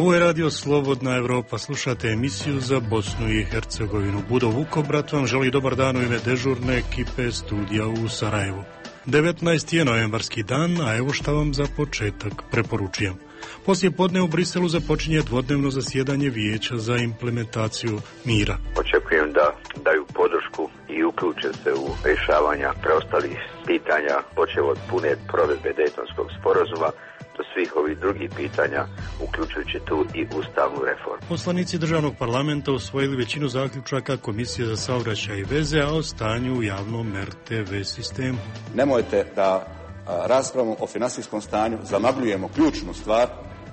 Ovo je Radio Slobodna Evropa. Slušate emisiju za Bosnu i Hercegovinu. Budo Vukobrat vam želi dobar dan u ime dežurne ekipe studija u Sarajevu. 19. je novembarski dan, a evo šta vam za početak preporučujem. Poslije podne u Briselu započinje dvodnevno zasjedanje Vijeća za implementaciju mira. Očekujem da daju podršku i uključe se u rješavanja preostalih pitanja, počev od pune provedbe Dejtonskog sporazuma do svih ovih drugih pitanja, uključujući tu i ustavnu reformu. Poslanici državnog parlamenta usvojili većinu zaključaka Komisije za saobraćaj i veze, a o stanju u javnom RTV sistemu. Nemojte da raspravom o financijskom stanju zamagljujemo ključnu stvar,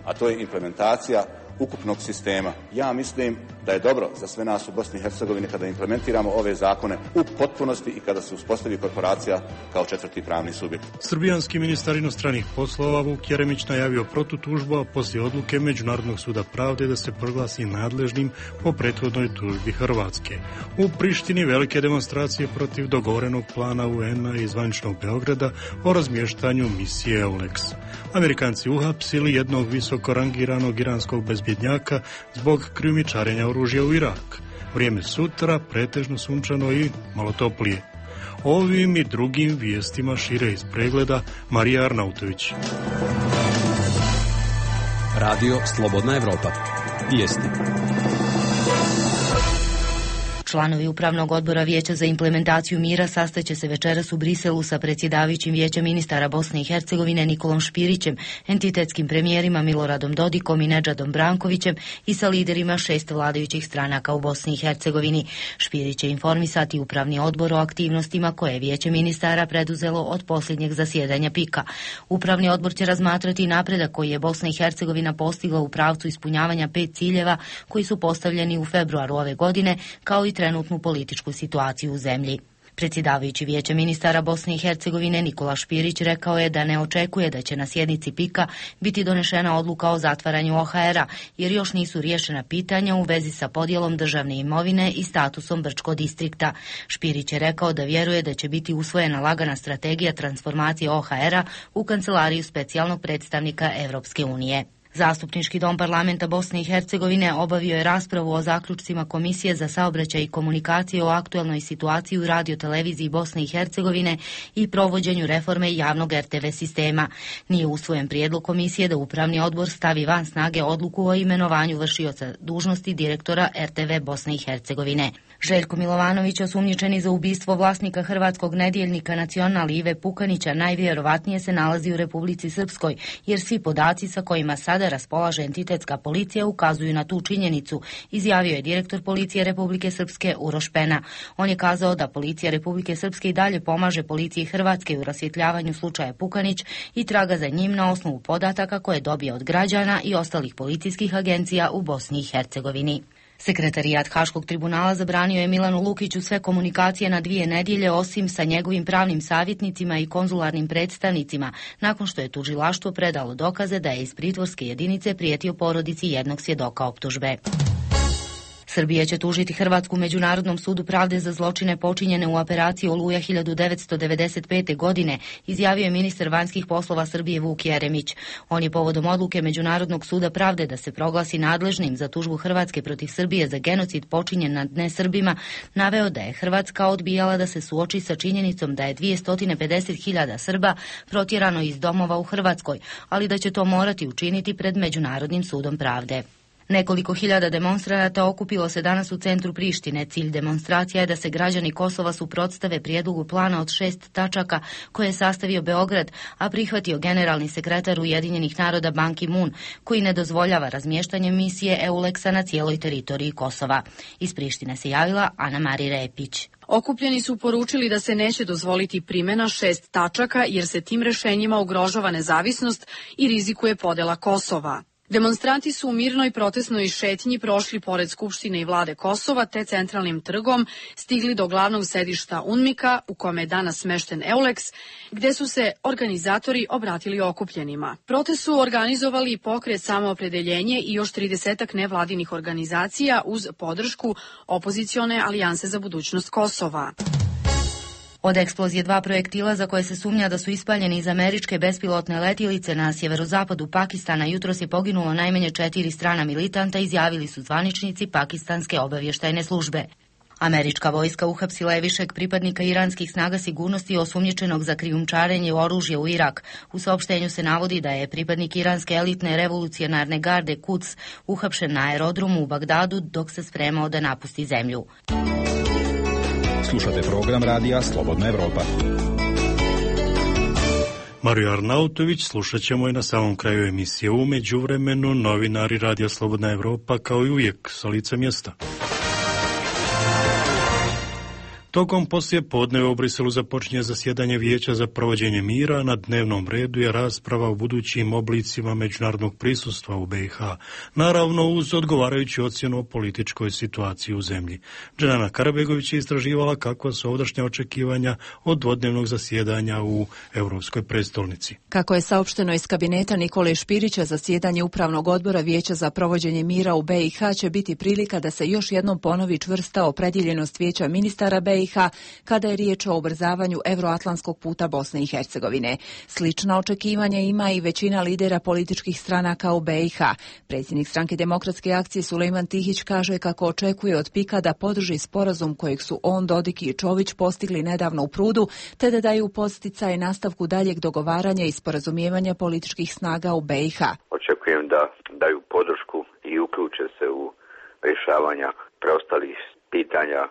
a to je implementacija ukupnog sistema. Ja mislim da je dobro za sve nas u Bosni i Hercegovini kada implementiramo ove zakone u potpunosti i kada se uspostavi korporacija kao četvrti pravni subjekt. Srbijanski ministar inostranih poslova Vuk Jeremić najavio protutužbu, a poslije odluke Međunarodnog suda pravde da se proglasi nadležnim po prethodnoj tužbi Hrvatske. U Prištini velike demonstracije protiv dogovorenog plana UN-a i zvaničnog Beograda o razmještanju misije EULEX. Amerikanci uhapsili jednog visoko rangiranog iranskog bezbjednjaka zbog krijumčarenja oružja u Irak. Vrijeme sutra pretežno sunčano i malo toplije. Ovim i drugim vijestima šire iz pregleda Marija Arnautović. Radio Slobodna Evropa. Vijesti. Članovi Upravnog odbora Vijeća za implementaciju mira sastaće se večeras u Briselu sa predsjedavajućim Vijeća ministara Bosne i Hercegovine Nikolom Špirićem, entitetskim premijerima Miloradom Dodikom i Nedžadom Brankovićem i sa liderima 6 vladajućih stranaka u Bosni i Hercegovini. Špirić će informisati Upravni odbor o aktivnostima koje je Vijeće ministara preduzelo od posljednjeg zasjedanja PIK-a. Upravni odbor će razmatrati napredak koji je Bosna i Hercegovina postigla u pravcu ispunjavanja 5 ciljeva koji su postavljeni u februaru ove godine, kao i trenutnu političku situaciju u zemlji. Predsjedavajući Vijeća ministara Bosne i Hercegovine Nikola Špirić rekao je da ne očekuje da će na sjednici PIK-a biti donešena odluka o zatvaranju OHR-a, jer još nisu riješena pitanja u vezi sa podjelom državne imovine i statusom Brčko distrikta. Špirić je rekao da vjeruje da će biti usvojena lagana strategija transformacije OHR-a u kancelariju specijalnog predstavnika Evropske unije. Zastupnički dom parlamenta Bosne i Hercegovine obavio je raspravu o zaključcima Komisije za saobraćaj i komunikacije o aktualnoj situaciji u radioteleviziji Bosne i Hercegovine i provođenju reforme javnog RTV sistema. Nije usvojen prijedlog komisije da Upravni odbor stavi van snage odluku o imenovanju vršioca dužnosti direktora RTV Bosne i Hercegovine. Željko Milovanović, osumnjičeni za ubistvo vlasnika hrvatskog nedjeljnika Nacional Ive Pukanića, najvjerovatnije se nalazi u Republici Srpskoj, jer svi podaci sa kojima sada raspolaže entitetska policija ukazuju na tu činjenicu, izjavio je direktor policije Republike Srpske Uroš Pena. On je kazao da policija Republike Srpske i dalje pomaže policiji Hrvatske u rasvjetljavanju slučaja Pukanić i traga za njim na osnovu podataka koje dobije od građana i ostalih policijskih agencija u Bosni i Hercegovini. Sekretarijat Haškog tribunala zabranio je Milanu Lukiću sve komunikacije na 2 nedjelje osim sa njegovim pravnim savjetnicima i konzularnim predstavnicima, nakon što je tužilaštvo predalo dokaze da je iz pritvorske jedinice prijetio porodici jednog svjedoka optužbe. Srbija će tužiti Hrvatsku u Međunarodnom sudu pravde za zločine počinjene u operaciji Oluja 1995. godine, izjavio je ministar vanjskih poslova Srbije Vuk Jeremić. On je povodom odluke Međunarodnog suda pravde da se proglasi nadležnim za tužbu Hrvatske protiv Srbije za genocid počinjen nad nesrbima naveo da je Hrvatska odbijala da se suoči sa činjenicom da je 250.000 Srba protjerano iz domova u Hrvatskoj, ali da će to morati učiniti pred Međunarodnim sudom pravde. Nekoliko hiljada demonstranata okupilo se danas u centru Prištine. Cilj demonstracija je da se građani Kosova suprotstave prijedlogu plana od 6 tačaka koje je sastavio Beograd, a prihvatio generalni sekretar Ujedinjenih naroda Ban Ki-moon, koji ne dozvoljava razmještanje misije EULEX-a na cijeloj teritoriji Kosova. Iz Prištine se javila Ana Mari Repić. Okupljeni su poručili da se neće dozvoliti primjena 6 tačaka jer se tim rješenjima ugrožava nezavisnost i rizikuje podjela Kosova. Demonstranti su u mirnoj protestnoj šetnji prošli pored Skupštine i vlade Kosova te centralnim trgom stigli do glavnog sedišta UNMIK-a u kome je danas smešten EULEX, gdje su se organizatori obratili okupljenima. Protest su organizovali pokret Samoopredeljenje i još 30 nevladinih organizacija uz podršku opozicione Alijanse za budućnost Kosova. Od eksplozije 2 projektila za koje se sumnja da su ispaljeni iz američke bespilotne letjelice na sjeverozapadu Pakistana jutros je poginulo najmanje 4 strana militanta, izjavili su zvaničnici pakistanske obavještajne službe. Američka vojska uhapsila je višeg pripadnika iranskih snaga sigurnosti osumnjičenog za krijumčarenje oružja u Irak. U saopštenju se navodi da je pripadnik iranske elitne revolucionarne garde Quds uhapšen na aerodromu u Bagdadu dok se spremao da napusti zemlju. Slušate program radija Slobodna Evropa. Mariju Arnautović slušat ćemo i na samom kraju emisije. U međuvremenu novinari Radija Slobodna Evropa kao i uvijek sa lica mjesta. Tokom poslije podneva u Briselu započinje zasjedanje Vijeća za provođenje mira. Na dnevnom redu je rasprava o budućim oblicima međunarodnog prisustva u BiH, naravno uz odgovarajuću ocjenu o političkoj situaciji u zemlji. Dženana Karabegović je istraživala kakva su ovdašnja očekivanja od dvodnevnog zasjedanja u Europskoj prestolnici. Kako je saopšteno iz kabineta Nikole Špirića, zasjedanje Upravnog odbora Vijeća za provođenje mira u BiH će biti prilika da se još jednom ponovi čvrsta opredjeljenost Vijeća ministara BiH kada je riječ o ubrzavanju euroatlantskog puta Bosne i Hercegovine. Slična očekivanja ima i većina lidera političkih stranaka u BiH. Predsjednik Stranke demokratske akcije Sulejman Tihić kaže kako očekuje od PIK-a da podrži sporazum kojeg su on, Dodik i Čović postigli nedavno u Prudu, te da daju podsticaj nastavku daljeg dogovaranja i sporazumijevanja političkih snaga u BiH. Očekujem da daju podršku i uključe se u rješavanja preostalih pitanja,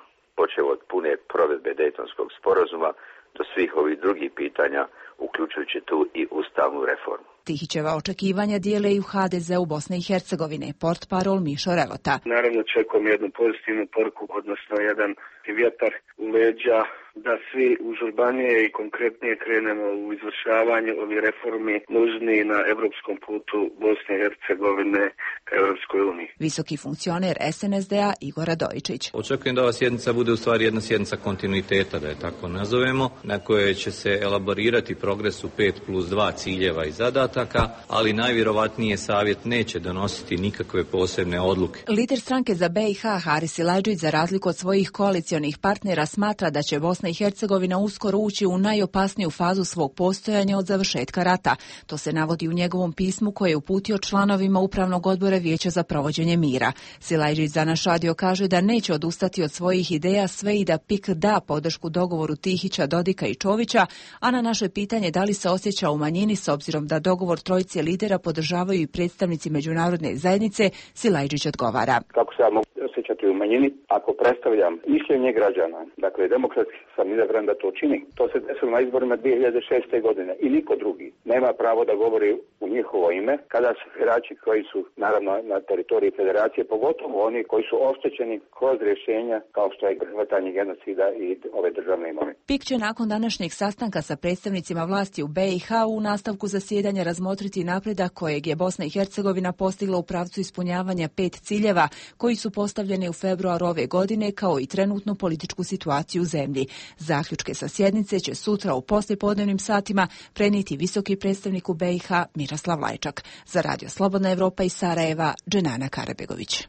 počev od pune provedbe Dejtonskog sporazuma do svih ovih drugih pitanja, uključujući tu i ustavnu reformu. Tihićeva očekivanja dijele i u HDZ-u Bosne i Hercegovine, portparol Mišo Relota. Naravno očekujem jednu pozitivnu poruku, odnosno jedan vjetar u leđa, da svi užurbanije i konkretnije krenemo u izvršavanje ovih reformi nužni na evropskom putu Bosne i Hercegovine ka Europskoj uniji. Visoki funkcioner SNSD-a Igor Radojičić. Očekujem da ova sjednica bude u stvari jedna sjednica kontinuiteta, da je tako nazovemo, na kojoj će se elaborirati progres u 5+2 ciljeva i zadataka, ali najvjerovatnije savjet neće donositi nikakve posebne odluke. Lider stranke za BiH Haris Silajdžić, za razliku od svojih koalicionih partnera, smatra da će Bosna i Hercegovina uskoro ući u najopasniju fazu svog postojanja od završetka rata. To se navodi u njegovom pismu koje je uputio članovima Upravnog odbora Vijeća za provođenje mira. Silajdžić za naš radio kaže da neće odustati od svojih ideja sve i da PIK da podršku dogovoru Tihića, Dodika i Čovića, a na naše pitanje da li se osjeća u manjini s obzirom da dogovor trojice lidera podržavaju i predstavnici međunarodne zajednice, Silajdžić odgovara. Kako se ja mogu osjećati u manjini ako predstavljam mišljenje građana, dakle demokratski sam izabran da to čini. To se desilo na izborima 2006. godine i niko drugi nema pravo da govori u njihovo ime kada su birači koji su naravno na teritoriji federacije, pogotovo oni koji su oštećeni kroz rješenja kao što je prihvatanje genocida i ove državne imovine. PIK će nakon današnjeg sastanka sa predstavnicima vlasti u BiH u nastavku zasjedanja razmotriti napredak kojeg je Bosna i Hercegovina postigla u pravcu ispunjavanja 5 ciljeva koji su postavljeni u februaru ove godine, kao i trenutnu političku situaciju u zemlji. Zaključke sa sjednice će sutra u poslijepodnevnim satima prenijeti visoki predstavnik u BiH Miroslav Lajčak. Za Radio Slobodna Evropa iz Sarajeva, Dženana Karabegović.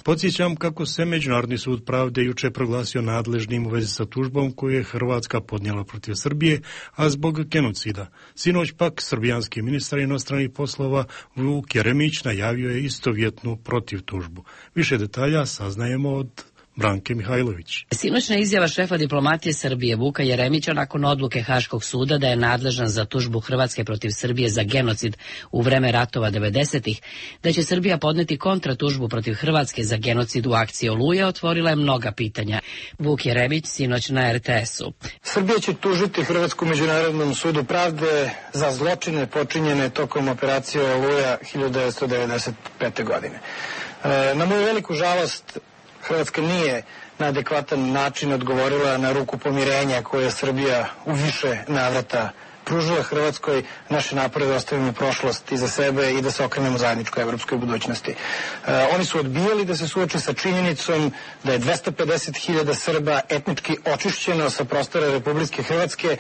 Podsjećam kako se Međunarodni sud pravde juče proglasio nadležnim u vezi sa tužbom koju je Hrvatska podnijela protiv Srbije, a zbog genocida. Sinoć pak srbijanski ministar inostranih poslova Vuk Jeremić najavio je istovjetnu protivtužbu. Više detalja saznajemo od Branke Mihajlović. Sinoćna izjava šefa diplomatije Srbije Vuka Jeremića nakon odluke Haškog suda da je nadležan za tužbu Hrvatske protiv Srbije za genocid u vreme ratova 90-ih, da će Srbija podneti kontratužbu protiv Hrvatske za genocid u akciji Oluja, otvorila je mnoga pitanja. Vuk Jeremić sinoć na RTS-u. Srbija će tužiti Hrvatsku Međunarodnom sudu pravde za zločine počinjene tokom operacije Oluja 1995. godine. Na moju veliku žalost, Hrvatska nije na adekvatan način odgovorila na ruku pomirenja koje je Srbija u više navrata pružila Hrvatskoj. Naše napore da ostavimo prošlost iza sebe i da se okrenemo zajedničkoj evropskoj budućnosti. Oni su odbijali da se suoče sa činjenicom da je 250.000 Srba etnički očišćeno sa prostora Republike Hrvatske,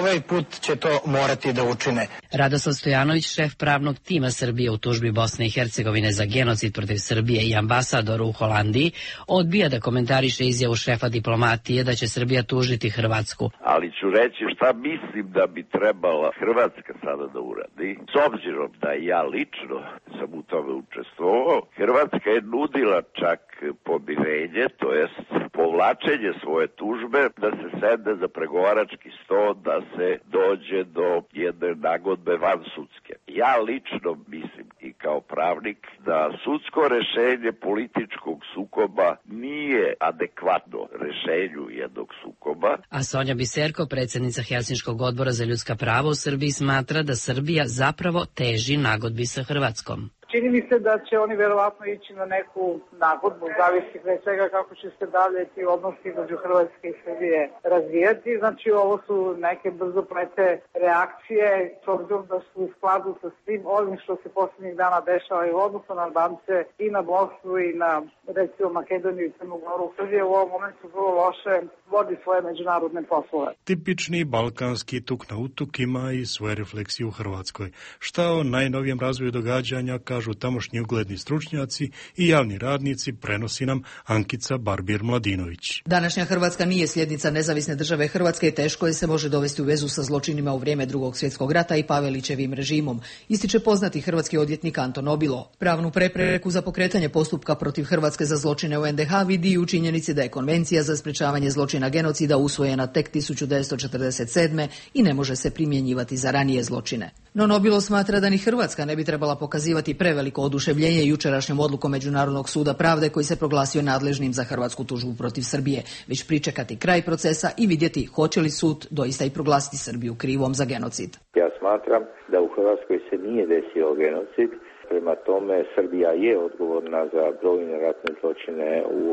ovaj put će to morati da učine. Radoslav Stojanović, šef pravnog tima Srbije u tužbi Bosne i Hercegovine za genocid protiv Srbije i ambasador u Holandiji, odbija da komentariše izjavu šefa diplomatije da će Srbija tužiti Hrvatsku. Ali ću reći šta mislim da bi trebala Hrvatska sada da uradi. S obzirom da ja lično sam u tome učestvovao, Hrvatska je nudila čak pomirenje, to jest povlačenje svoje tužbe, da se sedne za pregovarački sto, da se dođe do jedne nagodbe vansudske. Ja lično mislim i kao pravnik da sudsko rešenje političkog sukoba nije adekvatno rešenju jednog sukoba. A Sonja Biserko, predsjednica Helsinškog odbora za ljudska prava u Srbiji, smatra da Srbija zapravo teži nagodbi sa Hrvatskom. Čini mi se da će oni verovatno ići na neku nagodbu, zavisi pre svega kako će se dalje ti odnosi između Hrvatske i Srbije razvijati. Znači ovo su neke brzoplete reakcije, s obzirom da su u skladu sa svim ovim što se posljednjih dana dešava i u odnosu na Albance i na Bosnu i na recimo Makedoniju i Crnu Goru. Srbija u ovom momentu vrlo loše vodi svoje međunarodne poslove. Tipični balkanski tuk na utuk ima i svoje refleksije u Hrvatskoj. Šta o najnovijem razvoju događanja kažu tamošnji ugledni stručnjaci i javni radnici, prenosi nam Ankica Barbir-Mladinović. Današnja Hrvatska nije sljednica nezavisne države Hrvatske i teško je se može dovesti u vezu sa zločinima u vrijeme Drugog svjetskog rata i Pavelićevim režimom, ističe poznati hrvatski odvjetnik Anton Obilo. Pravnu prepreku za pokretanje postupka protiv Hrvatske za zločine u NDH vidi i u činjenici da je Konvencija za sprečavanje zločina genocida usvojena tek 1947. i ne može se primjenjivati za ranije zločine. No Nobilo smatra da ni Hrvatska ne bi trebala pokazivati preveliko oduševljenje jučerašnjom odlukom Međunarodnog suda pravde koji se proglasio nadležnim za hrvatsku tužbu protiv Srbije, već pričekati kraj procesa i vidjeti hoće li sud doista i proglasiti Srbiju krivom za genocid. Ja smatram da u Hrvatskoj se nije desio genocid. Prema tome, Srbija je odgovorna za brojne ratne zločine u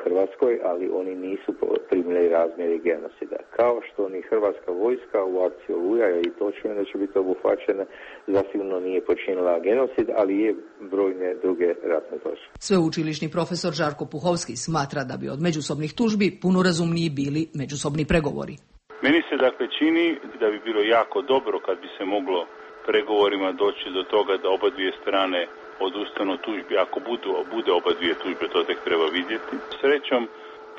Hrvatskoj, ali oni nisu primili razmjeri genocida. Kao što ni hrvatska vojska u akciji Oluja i točno da će biti obuhvaćene, zasigurno nije počinila genocid, ali je brojne druge ratne zločine. Sveučilišni profesor Žarko Puhovski smatra da bi od međusobnih tužbi puno razumniji bili međusobni pregovori. Meni se dakle čini da bi bilo jako dobro kad bi se moglo pregovorima doći do toga da oba dvije strane odustanu od tužbi. Ako bude oba dvije tužbe, to tek treba vidjeti. Srećom,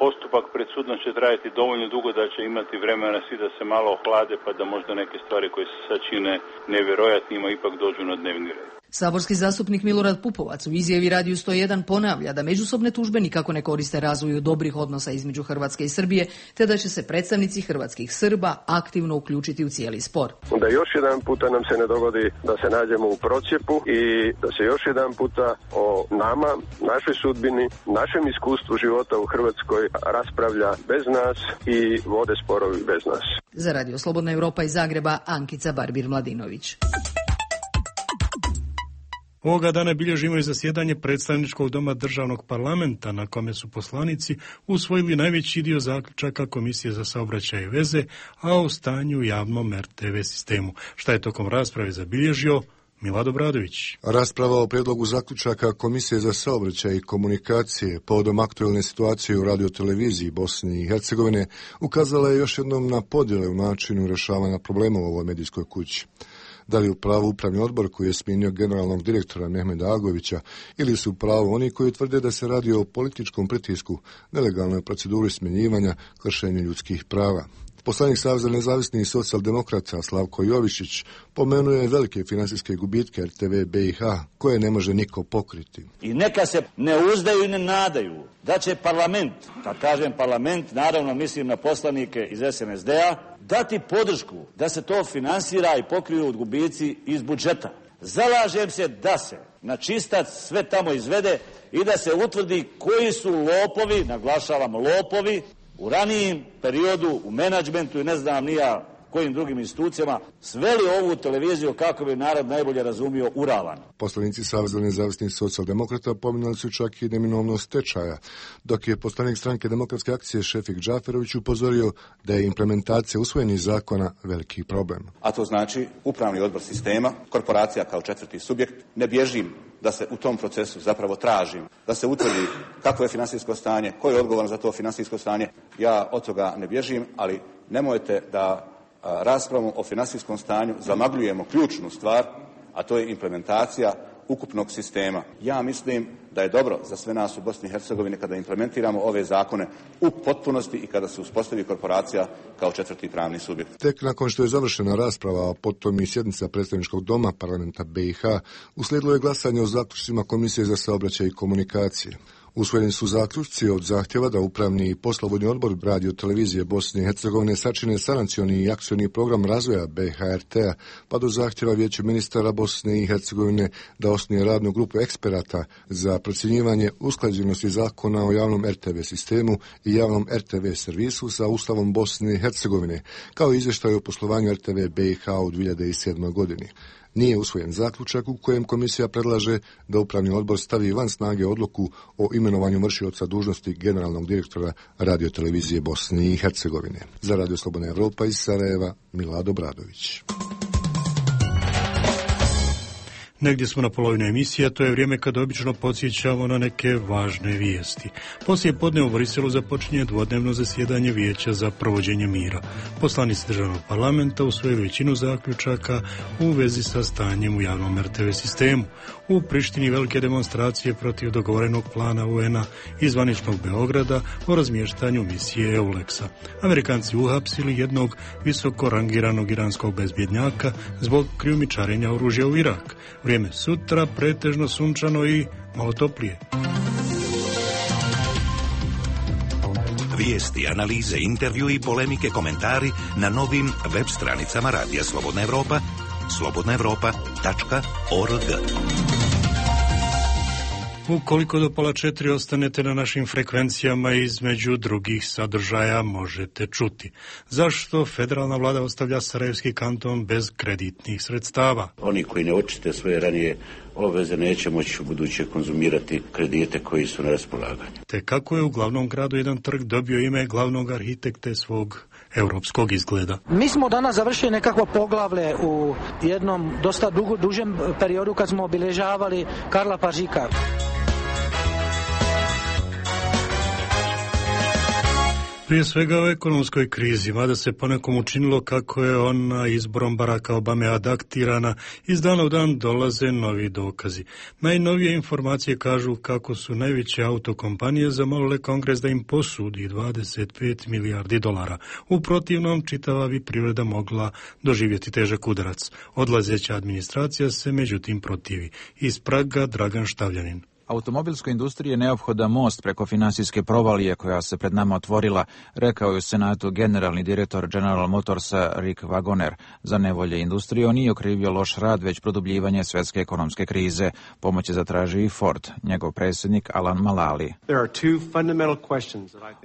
postupak pred sudom će trajati dovoljno dugo da će imati vremena svi da se malo ohlade, pa da možda neke stvari koje se sad čine nevjerojatnima ipak dođu na dnevni red. Saborski zastupnik Milorad Pupovac u izjavi Radiju 101 ponavlja da međusobne tužbe nikako ne koriste razvoju dobrih odnosa između Hrvatske i Srbije, te da će se predstavnici hrvatskih Srba aktivno uključiti u cijeli spor. Da još jedan puta nam se ne dogodi da se nađemo u procjepu i da se još jedan puta o nama, našoj sudbini, našem iskustvu života u Hrvatskoj raspravlja bez nas i vode sporovi bez nas. Za Radio Slobodna Europa iz Zagreba, Ankica Barbir-Mladinović. Ovoga dana bilježimo i zasjedanje predstavničkog doma državnog parlamenta na kome su poslanici usvojili najveći dio zaključaka Komisije za saobraćaj i veze, a o stanju u javnom RTV sistemu. Šta je tokom rasprave zabilježio Milad Bradović? Rasprava o prijedlogu zaključaka Komisije za saobraćaj i komunikacije povodom aktualne situacije u radioteleviziji Bosne i Hercegovine ukazala je još jednom na podjele u načinu rješavanja problema u ovoj medijskoj kući. Da li u pravu upravni odbor koji je smijenio generalnog direktora Mehmeda Agovića ili su u pravu oni koji tvrde da se radi o političkom pritisku, nelegalnoj proceduri smjenjivanja, kršenju ljudskih prava. Poslanik Saveza nezavisnih socijaldemokrata Slavko Jovišić pomenuo je velike financijske gubitke RTV BiH koje ne može niko pokriti. I neka se ne uzdaju i ne nadaju da će parlament, kad kažem parlament, naravno mislim na poslanike iz SNSD-a, dati podršku da se to finansira i pokriju od gubici iz budžeta. Zalažem se da se na čistac sve tamo izvede i da se utvrdi koji su lopovi, naglašavam lopovi, u ranijem periodu u menadžmentu i ne znam ni ja kojim drugim institucijama sveli ovu televiziju kako bi narod najbolje razumio u ravan. Poslanici Saveza nezavisnih socijaldemokrata pominjali su čak i neminovnost stečaja, dok je poslanik stranke Demokratske akcije Šefik Džaferović upozorio da je implementacija usvojenih zakona veliki problem. A to znači upravni odbor sistema, korporacija kao četvrti subjekt, ne bježim da se u tom procesu zapravo tražim, da se utvrdi kakvo je financijsko stanje, ko je odgovoran za to financijsko stanje. Ja od toga ne bježim, ali nemojte da raspravom o financijskom stanju zamagljujemo ključnu stvar, a to je implementacija ukupnog sistema. Ja mislim da je dobro za sve nas u Bosni i Hercegovini kada implementiramo ove zakone u potpunosti i kada se uspostavi korporacija kao četvrti pravni subjekt. Tek nakon što je završena rasprava, a potom i sjednica predstavničkog doma parlamenta BiH, uslijedilo je glasanje o zaključcima Komisije za saobraćaj i komunikacije. Usvojeni su zaključci od zahtjeva da upravni i poslovodni odbor Radio televizije Bosne i Hercegovine sačine sanacioni i akcioni program razvoja BHRT-a, pa do zahtjeva Vijeća ministara Bosne i Hercegovine da osnuje radnu grupu eksperata za procjenjivanje usklađenosti zakona o javnom RTV sistemu i javnom RTV servisu sa Ustavom Bosne i Hercegovine, kao i izvještaj o poslovanju RTV BiH u 2007. godini. Nije usvojen zaključak u kojem komisija predlaže da upravni odbor stavi van snage odluku o imenovanju vršioca dužnosti generalnog direktora Radio televizije Bosne i Hercegovine. Za Radio Slobodna Evropa iz Sarajeva, Milado Bradović. Negdje smo na polovini emisije, to je vrijeme kada obično podsjećamo na neke važne vijesti. Poslije podne u Briselu započinje dvodnevno zasjedanje Vijeća za provođenje mira. Poslanici državnog parlamenta usvojili većinu zaključaka u vezi sa stanjem u javnom RTV sistemu. U Prištini velike demonstracije protiv dogovorenog plana UN-a i zvaničnog Beograda o razmještanju misije EULEX-a. Amerikanci uhapsili jednog visoko rangiranog iranskog bezbjednjaka zbog krijumčarenja oružja u Irak. Vrijeme sutra pretežno sunčano i malo toplije. Vijesti, analize, intervju i polemike, komentari na novim web stranicama Radija Slobodna Evropa, slobodnaevropa.org. Ukoliko do 3:30 ostanete na našim frekvencijama, između drugih sadržaja možete čuti. Zašto federalna vlada ostavlja Sarajevski kanton bez kreditnih sredstava? Oni koji ne očiste svoje ranije obveze neće moći u buduće konzumirati kredite koji su na raspolaganju. Te kako je u glavnom gradu jedan trg dobio ime glavnog arhitekte svog europskog izgleda. Mi smo danas završili nekakvo poglavlje u jednom dosta dužem periodu kad smo obilježavali Karla Pažika. Prije svega o ekonomskoj krizi, mada se ponekom učinilo kako je ona izborom Baracka Obame adaptirana, iz dana u dan dolaze novi dokazi. Najnovije informacije kažu kako su najveće autokompanije zamolile Kongres da im posudi 25 milijardi dolara. U protivnom, čitava bi privreda mogla doživjeti težak udarac. Odlazeća administracija se međutim protivi. Iz Praga Dragan Štavljanin. Automobilskoj industriji je neophodan most preko finansijske provalije koja se pred nama otvorila, rekao je u Senatu generalni direktor General Motorsa Rick Wagoner. Za nevolje industrije on nije okrivio loš rad, već produbljivanje svjetske ekonomske krize. Pomoć je zatražio i Ford, njegov predsjednik Alan Mulally.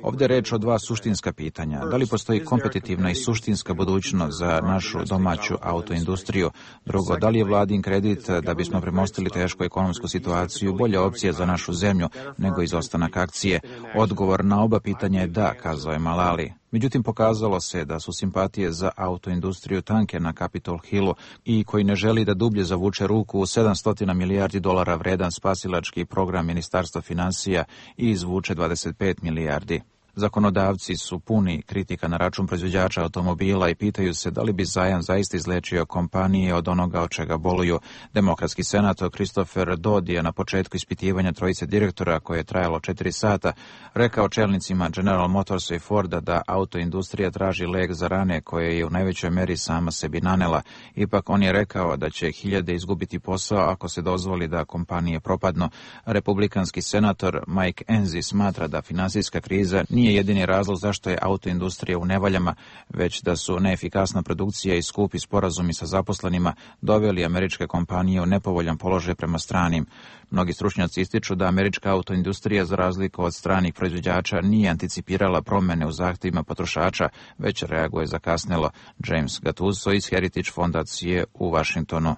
Ovdje je reč o dva suštinska pitanja. Da li postoji kompetitivna i suštinska budućnost za našu domaću autoindustriju? Drugo, da li je vladin kredit da bismo premostili tešku ekonomsku situaciju bolja opcija za našu zemlju nego izostanak akcije? Odgovor na oba pitanja je da, kazao je Mulally. Međutim, pokazalo se da su simpatije za autoindustriju tanke na Capitol Hillu i koji ne želi da dublje zavuče ruku u 700 milijardi dolara vredan spasilački program Ministarstva financija i izvuče 25 milijardi. Zakonodavci su puni kritika na račun proizvođača automobila i pitaju se da li bi zajam zaista izlečio kompanije od onoga od čega boluju. Demokratski senator Christopher Dodd je na početku ispitivanja trojice direktora, koje je trajalo 4 sata, rekao čelnicima General Motorsa i Forda da autoindustrija traži lek za rane koje je u najvećoj meri sama sebi nanela. Ipak on je rekao da će hiljade izgubiti posao ako se dozvoli da kompanije propadnu. Republikanski senator Mike Enzi smatra da finansijska kriza nije jedini razlog zašto je autoindustrija u nevaljama, već da su neefikasna produkcija i skupi sporazumi sa zaposlenima doveli američke kompanije u nepovoljan položaj prema stranim. Mnogi stručnjaci ističu da američka autoindustrija, za razliku od stranih proizvođača, nije anticipirala promjene u zahtjevima potrošača, već reaguje zakasnelo. James Gattuso iz Heritage fondacije u Washingtonu.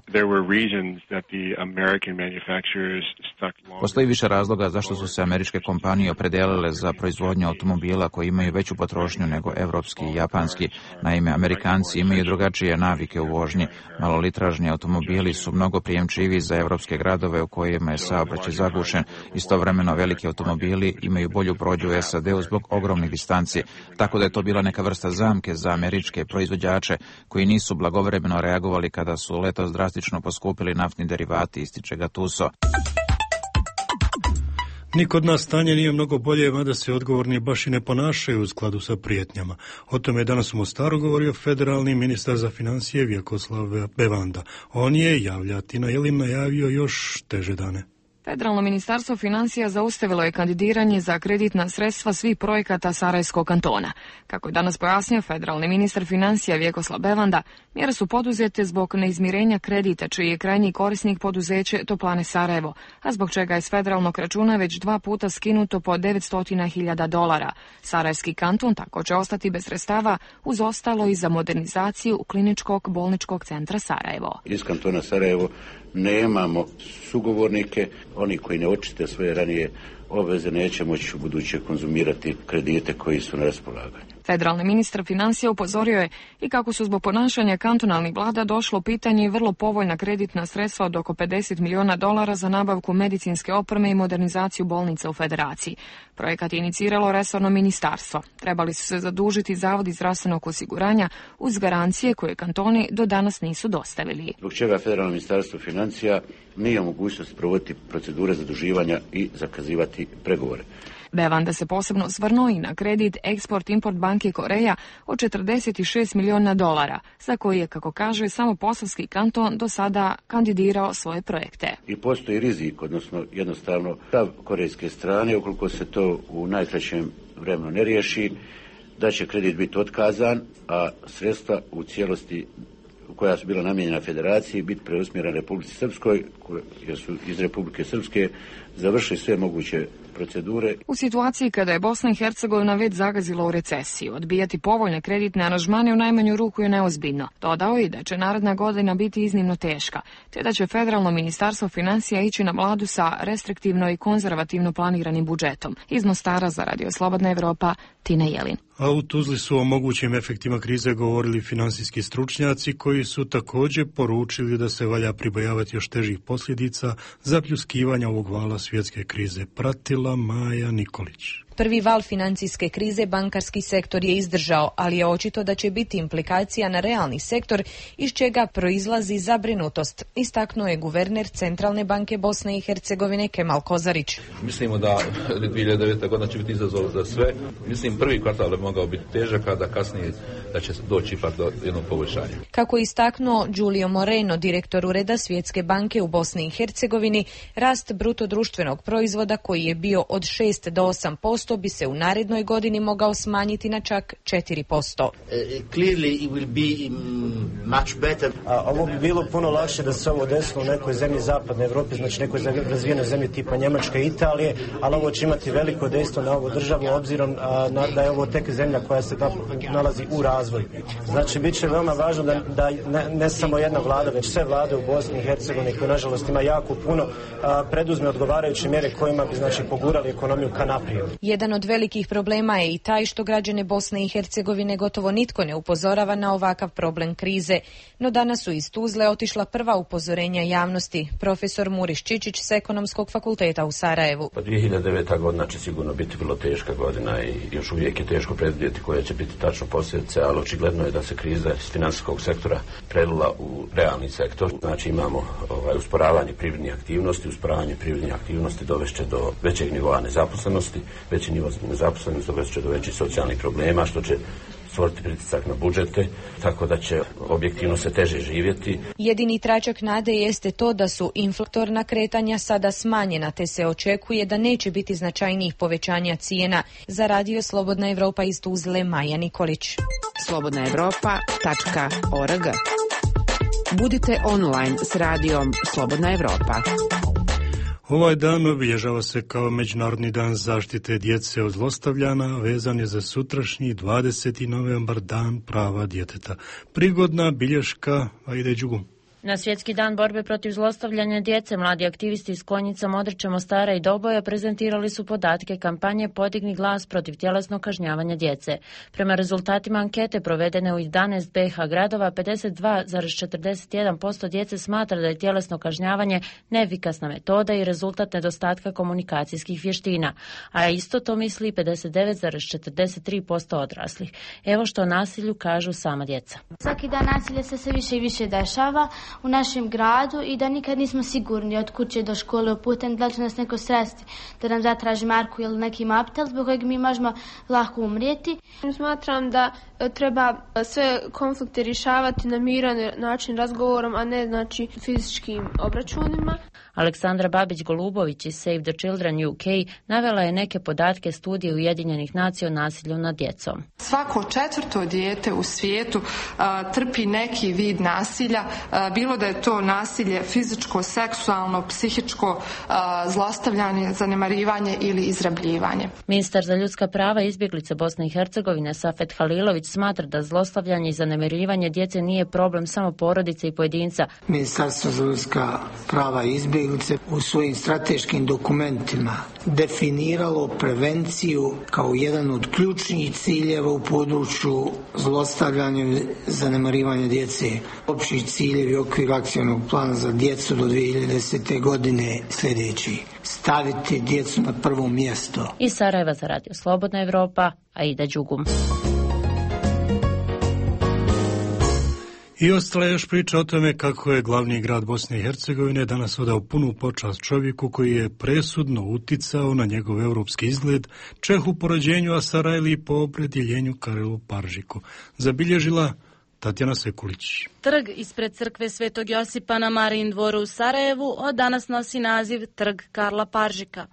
Postoji više razloga zašto su se američke kompanije opredijelile za proizvodnju automobila automobila koji imaju veću potrošnju nego evropski i japanski. Naime, Amerikanci imaju drugačije navike u vožnji. Malolitražni automobili su mnogo prijemčivi za evropske gradove u kojima je saobraćaj zagušen. Istovremeno veliki automobili imaju bolju prođu u SAD-u zbog ogromnih distanci. Tako da je to bila neka vrsta zamke za američke proizvođače koji nisu blagovremeno reagovali kada su letos drastično poskupili naftni derivati, ističe Gattuso. Ni kod nas stanje nije mnogo bolje, mada se odgovorni baš i ne ponašaju u skladu sa prijetnjama. O tome je danas u Mostaru govorio federalni ministar za financije Vjekoslav Bevanda. On je, javlja Tina Jelin, najavio još teže dane. Federalno ministarstvo financija zaustavilo je kandidiranje za kreditna sredstva svih projekata Sarajevskog kantona. Kako je danas pojasnio federalni ministar financija Vjekoslav Bevanda, mjere su poduzete zbog neizmirenja kredita, čiji je krajnji korisnik poduzeće Toplane Sarajevo, a zbog čega je s federalnog računa već 2 puta skinuto po $900.000. Sarajevski kanton tako će ostati bez sredstava, uz ostalo i za modernizaciju kliničkog bolničkog centra Sarajevo. Iz kantona Sarajevo nemamo sugovornike, oni koji ne očiste svoje ranije obveze neće moći u buduće konzumirati kredite koji su na raspolaganju. Federalni ministar financija upozorio je i kako su zbog ponašanja kantonalnih vlada došlo u pitanje i vrlo povoljna kreditna sredstva od oko $50 miliona za nabavku medicinske opreme i modernizaciju bolnica u federaciji. Projekat je iniciralo resorno ministarstvo. Trebali su se zadužiti zavodi zdravstvenog osiguranja uz garancije koje kantoni do danas nisu dostavili. Zbog čega federalno ministarstvo financija nije u mogućnosti provoditi procedure zaduživanja i zakazivati pregovore. Bevanda se posebno osvrnuo i na kredit Export-Import banke Koreja od $46 miliona, za koji je, kako kaže, samo Posavski kanton do sada kandidirao svoje projekte. I postoji rizik, odnosno jednostavno stav korejske strane, ukoliko se to u najkraćem vremenu ne riješi, da će kredit biti otkazan, a sredstva u cijelosti koja su bila namijenjena federaciji biti preusmjerena Republici Srpskoj, jer su iz Republike Srpske završili sve moguće procedure. U situaciji kada je Bosna i Hercegovina već zagazila u recesiju, odbijati povoljne kreditne aranžmane u najmanju ruku je neozbiljno. Dodao je da će naredna godina biti iznimno teška, te da će federalno ministarstvo financija ići na vladu sa restriktivno i konzervativno planiranim budžetom. Iz Mostara za Radio Slobodna Evropa, Tina Jelin. A u Tuzli su o mogućim efektima krize govorili finansijski stručnjaci koji su također poručili da se valja pribojavati još težih posljedica zapljuskivanja ovog vala svjetske krize. Pratila Maja Nikolić. Prvi val financijske krize bankarski sektor je izdržao, ali je očito da će biti implikacija na realni sektor, iz čega proizlazi zabrinutost, istaknuo je guverner Centralne banke Bosne i Hercegovine Kemal Kozarić. Mislimo da 2009. godina će biti izazov za sve. Mislim, prvi kvartal bi mogao biti težak, a da kasnije da će doći ipak do jednog poboljšanja. Kako je istaknuo Giulio Moreno, direktor Ureda Svjetske banke u Bosni i Hercegovini, rast bruto društvenog proizvoda koji je bio od 6 do 8% bi se u narednoj godini mogao smanjiti na čak 4%. Ovo bi bilo puno lakše da se ovo desilo u nekoj zemlji zapadne Evrope, znači nekoj razvijenoj zemlji tipa Njemačke i Italije, ali ovo će imati veliko dejstvo na ovu državu obzirom da je ovo tek zemlja koja se nalazi u razvoju. Znači, bit će veoma važno da ne samo jedna vlada, već sve vlade u Bosni i Hercegovini, koje nažalost ima jako puno, preduzme odgovarajuće mjere kojima bi znači pogurali ekonomiju ka naprijed. Jedan od velikih problema je i taj što građane Bosne i Hercegovine gotovo nitko ne upozorava na ovakav problem krize. No danas su iz Tuzle otišla prva upozorenja javnosti. Profesor Muriš Čičić s Ekonomskog fakulteta u Sarajevu. 2009. godina će sigurno biti vrlo teška godina i još uvijek je teško predvidjeti koje će biti tačno posljedice, ali očigledno je da se kriza iz financijskog sektora prelila u realni sektor. Znači imamo usporavanje privrednih aktivnosti. Usporavanje privrednih aktivnosti dovešće do većeg nivoa nezaposlenosti. Veći nivo nezaposlenosti dovest će do većih socijalnih problema, što će stvoriti pritisak na budžete, tako da će objektivno se teže živjeti. Jedini tračak nade jeste to da su inflatorna kretanja sada smanjena, te se očekuje da neće biti značajnijih povećanja cijena. Za Radio Slobodna Evropa iz Tuzle, Maja Nikolić. slobodnaevropa.org. Budite online s radijom Slobodna Evropa. Ovaj dan obilježava se kao Međunarodni dan zaštite djece od zlostavljanja, vezan je za sutrašnji 20. novembar, dan prava djeteta. Prigodna bilješka, Ajde Đugu. Na Svjetski dan borbe protiv zlostavljanja djece, mladi aktivisti iz Konjica, Modrića, Mostara i Doboja prezentirali su podatke kampanje Podigni glas protiv tjelesnog kažnjavanja djece. Prema rezultatima ankete provedene u 11 BiH gradova, 52,41% djece smatra da je tjelesno kažnjavanje neefikasna metoda i rezultat nedostatka komunikacijskih vještina, a isto to misli 59,43% odraslih. Evo što o nasilju kažu sama djeca. Svaki dan nasilje se sve više i više dešava u našem gradu i da nikad nismo sigurni od kuće do škole uputem, da li će nas neko sresti da nam zatraži marku ili neki maptel zbog kojeg mi možemo lako umrijeti. Smatram da treba sve konflikte rješavati na miran način, razgovorom, a ne znači fizičkim obračunima. Aleksandra Babić-Golubović iz Save the Children UK navela je neke podatke studije Ujedinjenih nacija o nasilju nad djecom. Svako 4. dijete u svijetu trpi neki vid nasilja, bilo da je to nasilje fizičko, seksualno, psihičko, zlostavljanje, zanemarivanje ili izrabljivanje. Ministar za ljudska prava i izbjeglice Bosne i Hercegovine Safet Halilović smatra da zlostavljanje i zanemarivanje djece nije problem samo porodice i pojedinca. Ministarstvo za ljudska prava i izbjeglice u svojim strateškim dokumentima definiralo prevenciju kao jedan od ključnih ciljeva u području zlostavljanja i zanemarivanja djece. Opći ciljevi u okviru akcijnog plana za djecu do 2010. godine sljedeći: staviti djecu na prvo mjesto. Iz Sarajeva za Radio Slobodna Evropa, Aida Đugum. I ostala je još priča o tome kako je glavni grad Bosne i Hercegovine danas odao punu počast čovjeku koji je presudno uticao na njegov europski izgled, Čehu po rođenju, a Sarajli po opredjeljenju Karilu Paržiku. Zabilježila Tatjana Sekulić. Trg ispred crkve Svetog Josipa na Marijin dvoru u Sarajevu od danas nosi naziv Trg Karla Paržika.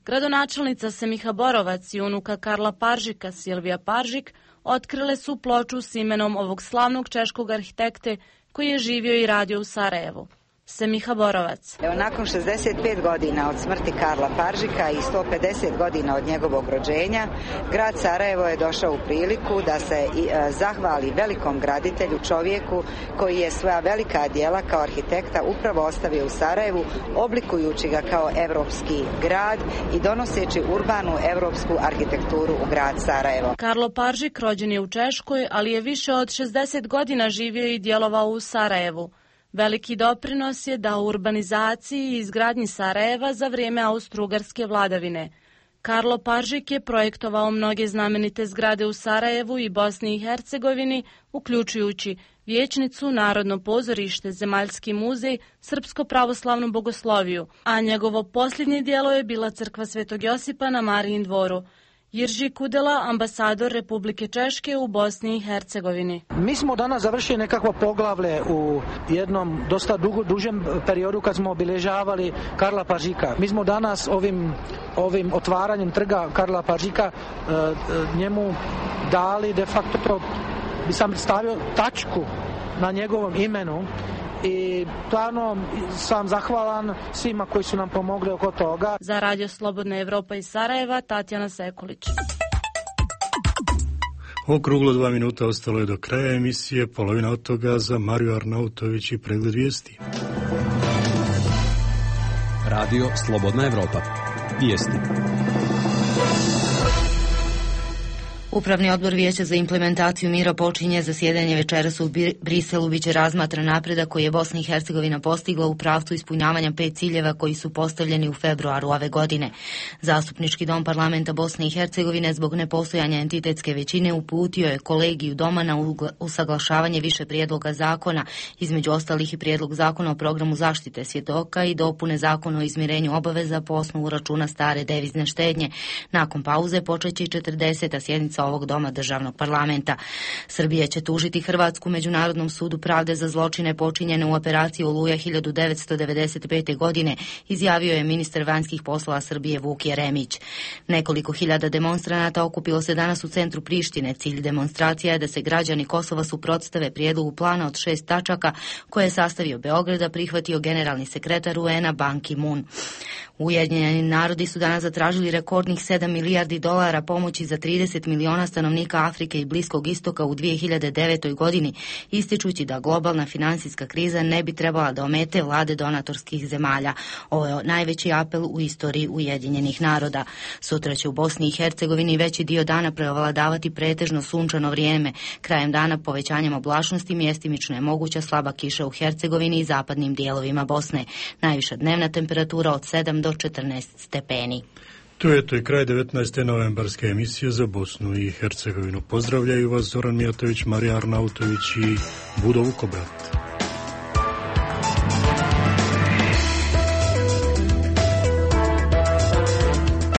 Gradonačelnica Semiha Borovac i unuka Karla Paržika, Silvija Paržik, otkrile su ploču s imenom ovog slavnog češkog arhitekte koji je živio i radio u Sarajevu. Semiha Borovac. Evo, nakon 65 godina od smrti Karla Paržika i 150 godina od njegovog rođenja, grad Sarajevo je došao u priliku da se zahvali velikom graditelju, čovjeku koji je svoja velika djela kao arhitekta upravo ostavio u Sarajevu, oblikujući ga kao evropski grad i donoseći urbanu evropsku arhitekturu u grad Sarajevo. Karlo Paržik rođen je u Češkoj, ali je više od 60 godina živio i djelovao u Sarajevu. Veliki doprinos je dao urbanizaciji i izgradnji Sarajeva za vrijeme austro-ugarske vladavine. Karlo Paržik je projektovao mnoge znamenite zgrade u Sarajevu i Bosni i Hercegovini, uključujući vijećnicu, Narodno pozorište, Zemaljski muzej, Srpsko pravoslavnu bogosloviju, a njegovo posljednje djelo je bila crkva Svetog Josipa na Marijin dvoru. Jirži Kudela, ambasador Republike Češke u Bosni i Hercegovini. Mi smo danas završili nekakvo poglavlje u jednom dosta dužem periodu kad smo obilježavali Karla Paržika. Mi smo danas ovim otvaranjem trga Karla Paržika njemu dali de facto, bi sam stavio tačku na njegovom imenu. I stvarno sam zahvalan svima koji su nam pomogli oko toga. Za Radio Slobodna Evropa iz Sarajeva, Tatjana Sekulić. Okruglo 2 minuta ostalo je do kraja emisije, polovina od toga za Mariju Arnautović i pregled vijesti. Radio Slobodna Evropa. Vijesti. Upravni odbor Vijeća za implementaciju mira počinje zasjedanje večeras u Briselu. Biće razmatra napredak koji je Bosna i Hercegovina postigla u pravcu ispunjavanja 5 ciljeva koji su postavljeni u februaru ove godine. Zastupnički dom parlamenta Bosne i Hercegovine zbog nepostojanja entitetske većine uputio je kolegiju doma na usaglašavanje više prijedloga zakona, između ostalih i prijedlog zakona o programu zaštite svjedoka i dopune zakona o izmirenju obaveza po osnovu računa stare devizne štednje. Nakon pauze počeće i 40. sjednica ovog doma državnog parlamenta. Srbija će tužiti Hrvatsku Međunarodnom sudu pravde za zločine počinjene u operaciji Oluja 1995. godine, izjavio je ministar vanjskih poslova Srbije Vuk Jeremić. Nekoliko hiljada demonstranata okupilo se danas u centru Prištine. Cilj demonstracija je da se građani Kosova suprotstave prijedlogu plana od 6 tačaka koje je sastavio Beograd, a prihvatio generalni sekretar UN-a Ban Ki-moon. Ujedinjeni narodi su danas zatražili rekordnih $7 milijardi pomoći za 30 miliona miliona stanovnika Afrike i Bliskog istoka u 2009. godini, ističući da globalna financijska kriza ne bi trebala da omete vlade donatorskih zemalja. Ovo je najveći apel u istoriji Ujedinjenih naroda. Sutra će u Bosni i Hercegovini veći dio dana preovladavati pretežno sunčano vrijeme. Krajem dana povećanjem oblačnosti mjestimično je moguća slaba kiša u Hercegovini i zapadnim dijelovima Bosne. Najviša dnevna temperatura od 7 do 14 stepeni. To je to i kraj 19. novembarske emisije za Bosnu i Hercegovinu. Pozdravljaju vas Zoran Mijatović, Marija Arnautović i Budo Vukobrat.